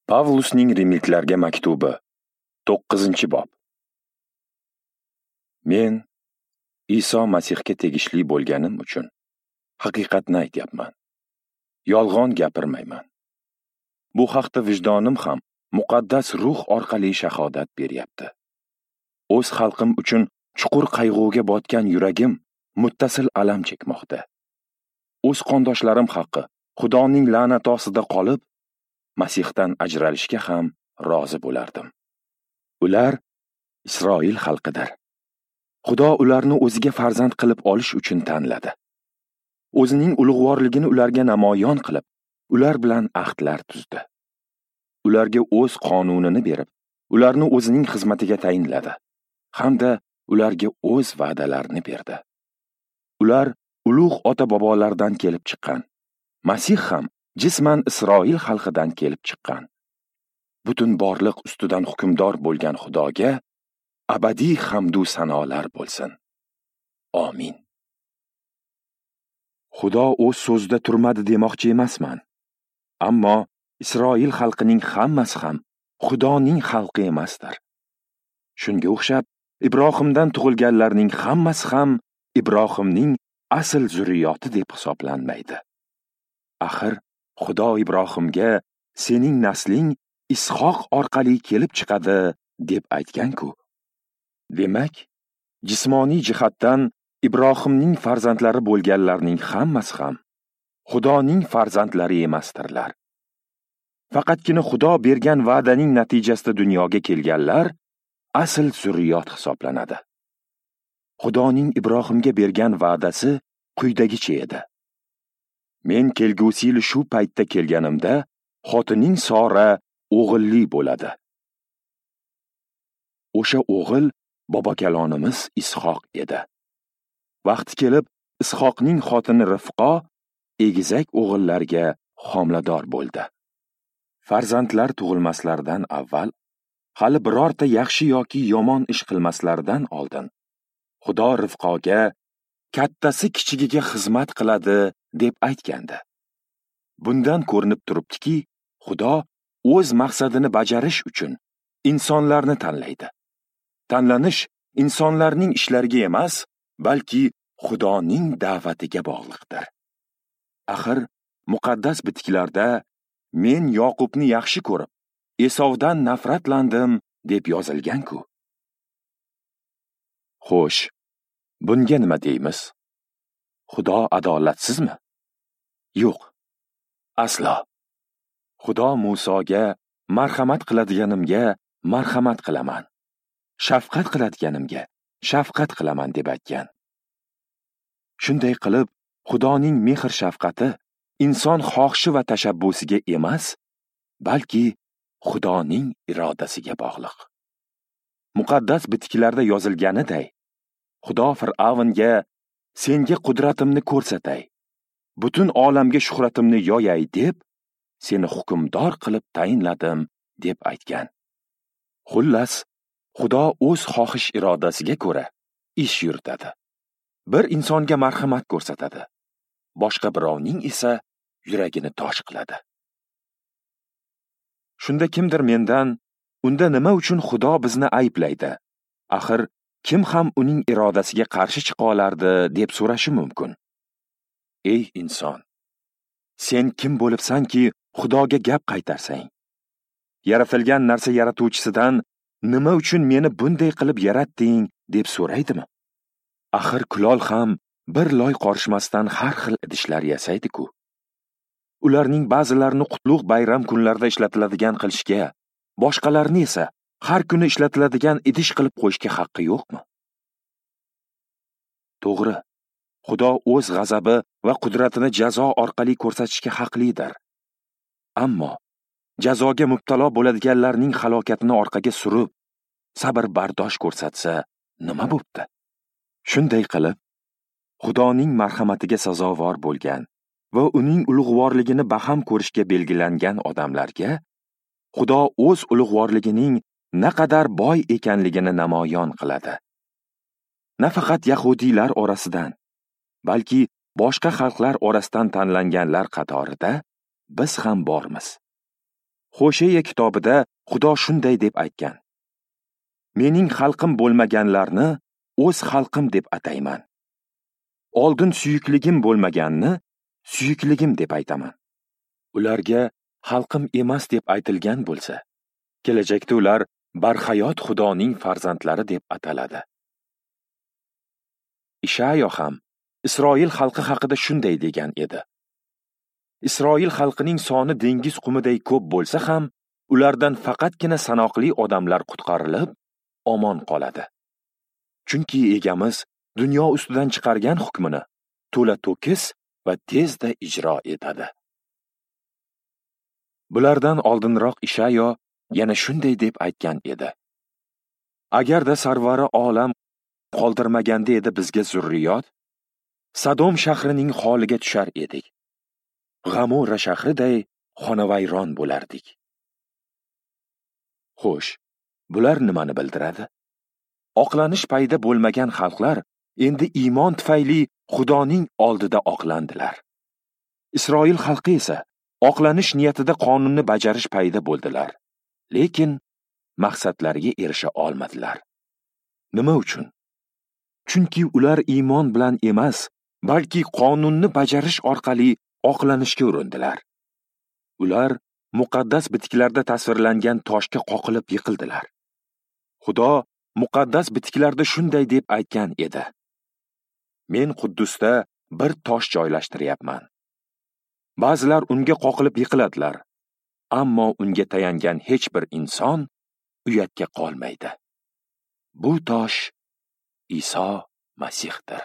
Pavlusning Rimliklarga maktubi, 9-bob. Men Iso Masihga tegishli bo'lganim uchun haqiqatni aytyapman. Yolg'on gapirmayman. Bu haqda vijdonim ham muqaddas ruh orqali shahodat beryapti. O'z xalqim uchun chuqur qayg'uga botgan yuragim muttasil alam chekmoqda. O'z qondoshlarim haqqi Xudoning la'nati ostida qolib, Masihdan ajralishga ham rozi bo'lardim. Ular Isroil xalqidir. Xudo ularni o'ziga farzand qilib olish uchun tanladi. O'zining ulug'vorligini ularga namoyon qilib, ular bilan ahdlar tuzdi. Ularga o'z qonunini berib, ularni o'zining xizmatiga tayinladi hamda ularga o'z va'dalarini berdi. Ular ulug' ota-bobolardan kelib chiqqan. Masih ham jisman Isroil xalqidan kelib chiqqan. Butun borliq ustidan hukmdor bo'lgan Xudoga abadiy hamdu sanolar bo'lsin. Amin. Xudo o'z so'zida turmadi demoqchi emasman. Ammo Isroil xalqining hammasi ham Xudoning xalqi emasdir. Shunga o'xshab Ibrohimdan tug'ilganlarning hammasi ham Ibrohimning asl zurriyoti deb hisoblanmaydi. Axir Xudo Ibrohimga sening nasling Ishoq orqali kelib chiqadi deb aytgan-ku. Demak, jismoniy jihatdan Ibrohimning farzandlari bo'lganlarning hammasi ham Xudoning farzandlari emasdirlar. Faqatgina Xudo bergan va'daning natijasida dunyoga kelganlar asl zurriyot hisoblanadi. Xudoning Ibrohimga bergan va'dasi quyidagicha edi. Men kelgusi yil shu paytda kelganimda xotining Sora o'g'illi bo'ladi. O'sha o'g'il bobokalonimiz Ishoq edi. Vaqti kelib Ishoqning xotini Rifqo egizak o'g'illarga homilador bo'ldi. Farzandlar tug'ilmaslaridan avval, hali birorta yaxshi yoki yomon ish qilmaslaridan oldin Xudo Rifqoga kattasi kichigiga xizmat qiladi deb aytgandi. Bundan ko'rinib turibdiki, Xudo o'z maqsadini bajarish uchun insonlarni tanlaydi. Tanlanish insonlarning ishlariga emas, balki Xudoning da'vatiga bog'liqdir. Axir muqaddas bitiklarda men Yoqubni yaxshi ko'rib, Esovdan nafratlandim deb yozilgan-ku. Xo'sh, bunga nima deymiz? Xudo adolatsizmi? Yo'q, aslo. Xudo Musoga marhamat qiladiganimga marhamat qilaman, shafqat qiladiganimga shafqat qilaman deb aytgan. Shunday qilib, Xudoning mehr shafqati inson xohishi va tashabbusiga emas, balki Xudoning irodasiga bog'liq. Muqaddas bitiklarda yozilganiday, Xudo Fir'avnga senga qudratimni ko'rsatay, butun olamga shuhratimni yoyay deb seni hukmdor qilib tayinladim deb aytgan. Xullas, Xudo o'z xohish irodasiga ko'ra ish yuritadi. Bir insonga marhamat ko'rsatadi, boshqa birovning esa yuragini tosh qiladi. Shunda kimdir mendan, unda nima uchun Xudo bizni ayblaydi? Axir kim ham uning irodasiga qarshi chiqa olardi deb so'rashi mumkin. Ey inson, sen kim bo'libsanki Xudoga gap qaytarsang? Yaratilgan narsa yaratuvchisidan nima uchun meni bunday qilib yaratding deb so'raydimi? Axir kulol ham bir loy qorishmasdan har xil idishlar yasaydi-ku. Ularning ba'zilarini qutlug' bayram kunlarida ishlatiladigan qilishga, boshqalarini esa har kuni ishlatiladigan idish qilib qo'yishga haqqi yo'qmi? To'g'ri, Xudo o'z g'azabi va qudratini jazo orqali ko'rsatishga haqlidir. Ammo jazoga mubtalo bo'ladiganlarning halokatini orqaga surib, sabr bardosh ko'rsatsa nima bo'pti? Shunday qilib, Xudoning marhamatiga sazovor bo'lgan va uning ulug'vorligini baham ko'rishga belgilangan odamlarga Xudo o'z ulug'vorligining naqadar boy ekanligini namoyon qiladi. Nafaqat yahudiylar orasidan, balki boshqa xalqlar orasidan tanlanganlar qatorida biz ham bormiz. Hosheya kitobida Xudo shunday deb aytgan: Mening xalqim bo'lmaganlarni o'z xalqim deb atayman. Oldin suyukligim bo'lmaganni suyukligim deb aytaman. Ularga xalqim emas deb aytilgan bo'lsa, kelajakda ular barhayot Xudoning farzandlari deb ataladi. Ishayo ham Isroil xalqi haqida shunday degan edi: Isroil xalqining soni dengiz qumiday ko'p bo'lsa ham, ulardan faqatgina sanoqli odamlar qutqarilib, omon qoladi. Chunki egamiz dunyo ustidan chiqargan hukmini to'la to'kis va tezda ijro etadi. Bulardan oldinroq Ishayo yana shunday deb aytgan edi: Agarda sarvari olam qoldirmaganda edi bizga zurriyot, Sodom shahrining holiga tushar edik. G'amora shahriday xonavayron bo'lardik. Xo'sh, bular nimani bildiradi? Oqlanish payda bo'lmagan xalqlar endi iymon tufayli Xudoning oldida oqlandilar. Isroil xalqi esa oqlanish niyatida qonunni bajarish payda bo'ldilar, lekin maqsadlariga erisha olmadilar. Nima uchun? Chunki ular iymon bilan emas, balki qonunni bajarish orqali oqlanishga urindilar. Ular muqaddas bitiklarda tasvirlangan toshga qoqilib yiqildilar. Xudo muqaddas bitiklarda shunday deb aytgan edi: Men Quddusda bir tosh joylashtiryapman. Ba'zilar unga qoqilib yiqiladilar, ammo unga tayangan hech bir inson uyatga qolmaydi. Bu tosh Iso Masihdir.